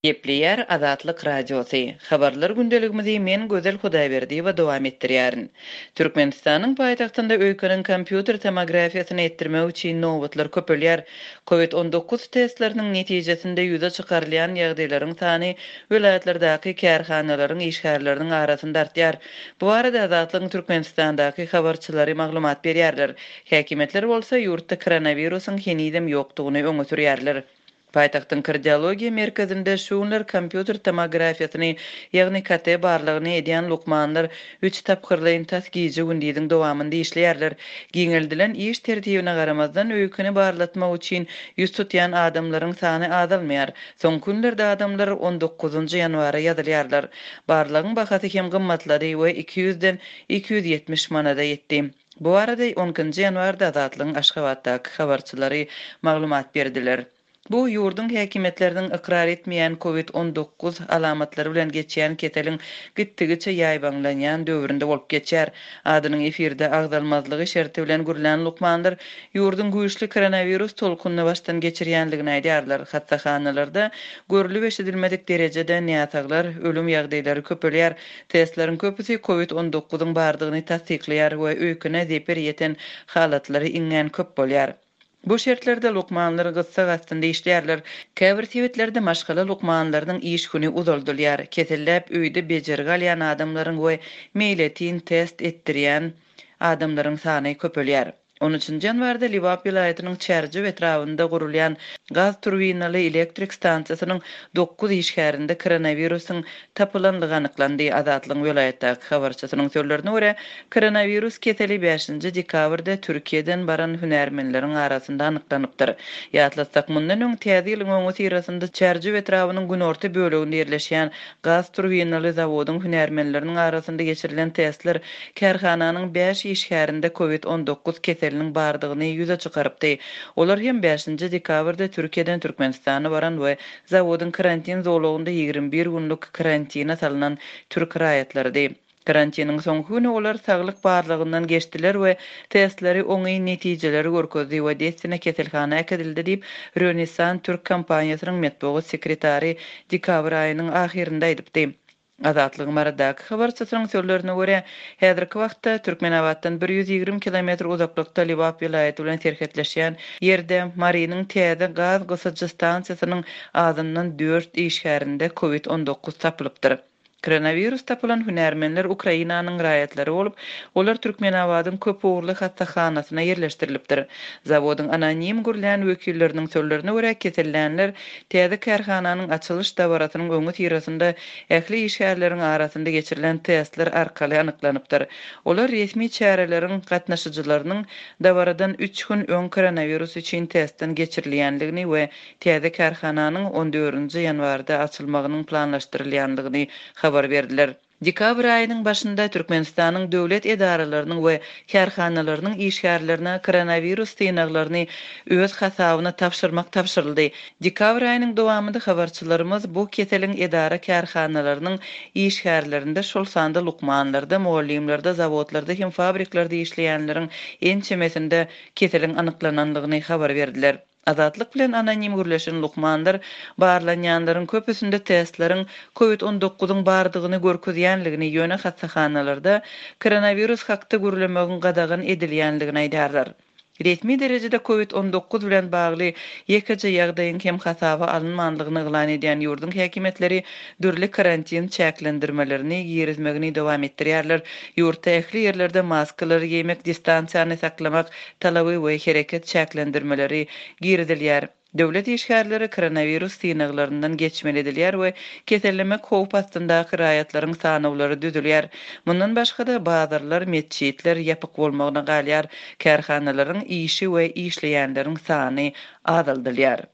Gepleýär Azatlyk Radiosy. Habarlar gündeligimizi men Gözel Hudaýberdiýewa dowam etdirýärin. Türkmenistanyň paýtagtynda öýkeniň kompýuter tomografiýasyny etdirmek üçin nobatlar köpelýär. Covid 19 testleriniň netijesinde ýüze çykarylýan ýagdaýlaryň sany welaýatlardaky kärhanalaryň işgärleriniň arasynda artýar. Bu barada Azatlygyň Türkmenistandaky habarçylary maglumat berýärler. Häkimiýetler bolsa ýurtda koronawirusyň henizem ýokdugyny öňe sürýärler. Paýtagtyň Kardiologiýa merkezinde şu günler kompýuter tomografiýasyny, ýagny KT barlagyny edýän lukmanlar üç tapgyrlaýyn tas gije-gündiziň dowamynda işleýärler. Giňeldilen iş tertibine garamazdan, öýkeni barlatmak üçin ýüz tutýan adamlaryň sany azalmaýar. Soňky günlerde adamlar on dokuzynjy ýanwara ýazylýarlar. Barlagyň bahasy hem gymmatlady we iki ýüzden 270 manada ýetdi. Bu barada on ikinji ýanwarda Azatlygyň Aşgabatdaky habarçylary maglumat berdiler. Bu ýurduň häkimiýetleriniň ykrar etmeýän covid 19 alamatlary bilen geçýän keseliň gitdigiçe ýaýbaňlanýan döwründe bolup geçýär. Adynyň efirde agzalmazlygy şerti bilen gürlän lukmanlar ýurduň güýçli koronawirus tolkunyny başdan geçirýändigini aýdýarlar. Hassahanalarda görlüp-eşidilmedik derejede näsaglar, ölüm ýagdaýlary köpelýär. Testleriň köpüsi covid 19 yň bardygyny tassyklaýar we öýkene zeper ýeten halatlary iňňän köp bolýar. Bu şertlerde lukmanlar gyssag astynda işleýärler. Käbir sebitlerde maşgala lukmanlarynyň iş güni uzaldylýar. Keselläp öýde bejergi alýan adamlaryň we meýletin test etdirýän adamlaryň sany köpelýär. On üçünji ýanwarda Lebap welaýatynyň Çärjew etrabynda gurulýan gaz turbinaly elektrik stansiýasynyň dokuz işgärinde koronawirusyň tapylandygy anyklandy. Azatlygyň welaýatdaky habarçysynyň sözlerine görä, koronawirus keseli bäşinji dekabrda Türkiýeden baran hünärmenleriň arasynda anyklanypdyr. Ýatlatsak, mundan öň Täze ýylyň öňüsyrasynda Çärjew etrabynyň günorta böleginde ýerleşýän Gaz turbinaly zawodyň hünärmenleriniň arasynda geçirilen testler kärhananyň bäş işgärinde covid 19 keseliniň bardygyny ýüze çykarypdy. Olar hem bäşinji dekabrda Türkiýeden Türkmenistana baran we zawodyň karantin zolagynda 21 günlük karantine salnan türk raýatlarydy. Karantiniň soňky güni olar saglyk barlagyndan geçdiler we testleri oňyn netijeleri görkezdi we dessine keselhana äkidildi diýip, Rönessan türk kompaniýasynyň metbugat sekretary dekabr aýynyň ahyrynda aýdypdy. Azatlygyň Marydaky habarçysynyň sözlerine görä, häzirki wagtda Türkmenabatdan 120 kilometr uzaklykda Lebap welaýaty bilen serhetleşýän ýerde Marynyň täze gaz gysyjy stansiýasynyň azyndan dört işgärinde covid 19 tapylypdyr. Koronawirus tapylan hünärmenler Ukrainanyň raýatlary bolup, olar Türkmenabadyň köp ugurly hassahanasyna ýerleşdirilipdir. Zawodyň anonim gürlän wekilleriniň sözlerine görä, kesellänler täze kärhananyň açylyş dabarasynyň öňüsyrasynda ähli işgärleriň arasynda geçirilen testler arkaly anyklanypdyr. Olar resmi çäreleriň gatnaşyjylarynyň dabaradan üç gün öň koronawirus üçin testden geçirilýändigini we Täze kärhananyň on dördünji ýanwarda açylmagynyň planlaşdyrylýandygyny habar berdiler. Dekabr aýynyň başynda Türkmenistanyň döwlet edaralarynyň we kärhanalarynyň işgärlerine koronawirus synaglaryny öz hasabyna tabşyrmak tabşyryldy. Dekabr aýynyň dowamynda habarçylarymyz bu keseliň edara-kärhanalarynyň işgärlerinde, şol sanda lukmanlarda, mugallymlarda, zawodlarda hem fabriklerde işleýänleriň ençemesinde keseliň anyklanandygyny habar berdiler. Azatlyk bilen anonim gürleşen lukmanlar barlanýanlaryň köpüsinde testleriň covid 19-yň bardygyny görkezýänligini, ýöne hassahanalarda koronawirus hakda gürlemegiň gadagan edilýänligini aýdýarlar. Resmi derejede covid 19 bilen bagly ýekeje ýagdaýyň hem hasaba alynmandygyny yglan edýän ýurduň häkimiýetleri dürli karantin çäklendirmelerini girizmegini dowam etdirýärler. Ýurtda ähli ýerlerde maskalary geýmek, distansiýany saklamak talaby we hereket çäklendirmeleri girizilýär. Döwlet işgärleri koronawirus synaglaryndan geçmeli edilýär we kesellemek howp astyndaky raýatlaryň sanawlary düzülýär. Mundan başga-da, bazarlar, metjitler ýapyk bolmagyna galýar, kärhanalaryň işi we işleýänleriň sany azaldylýar.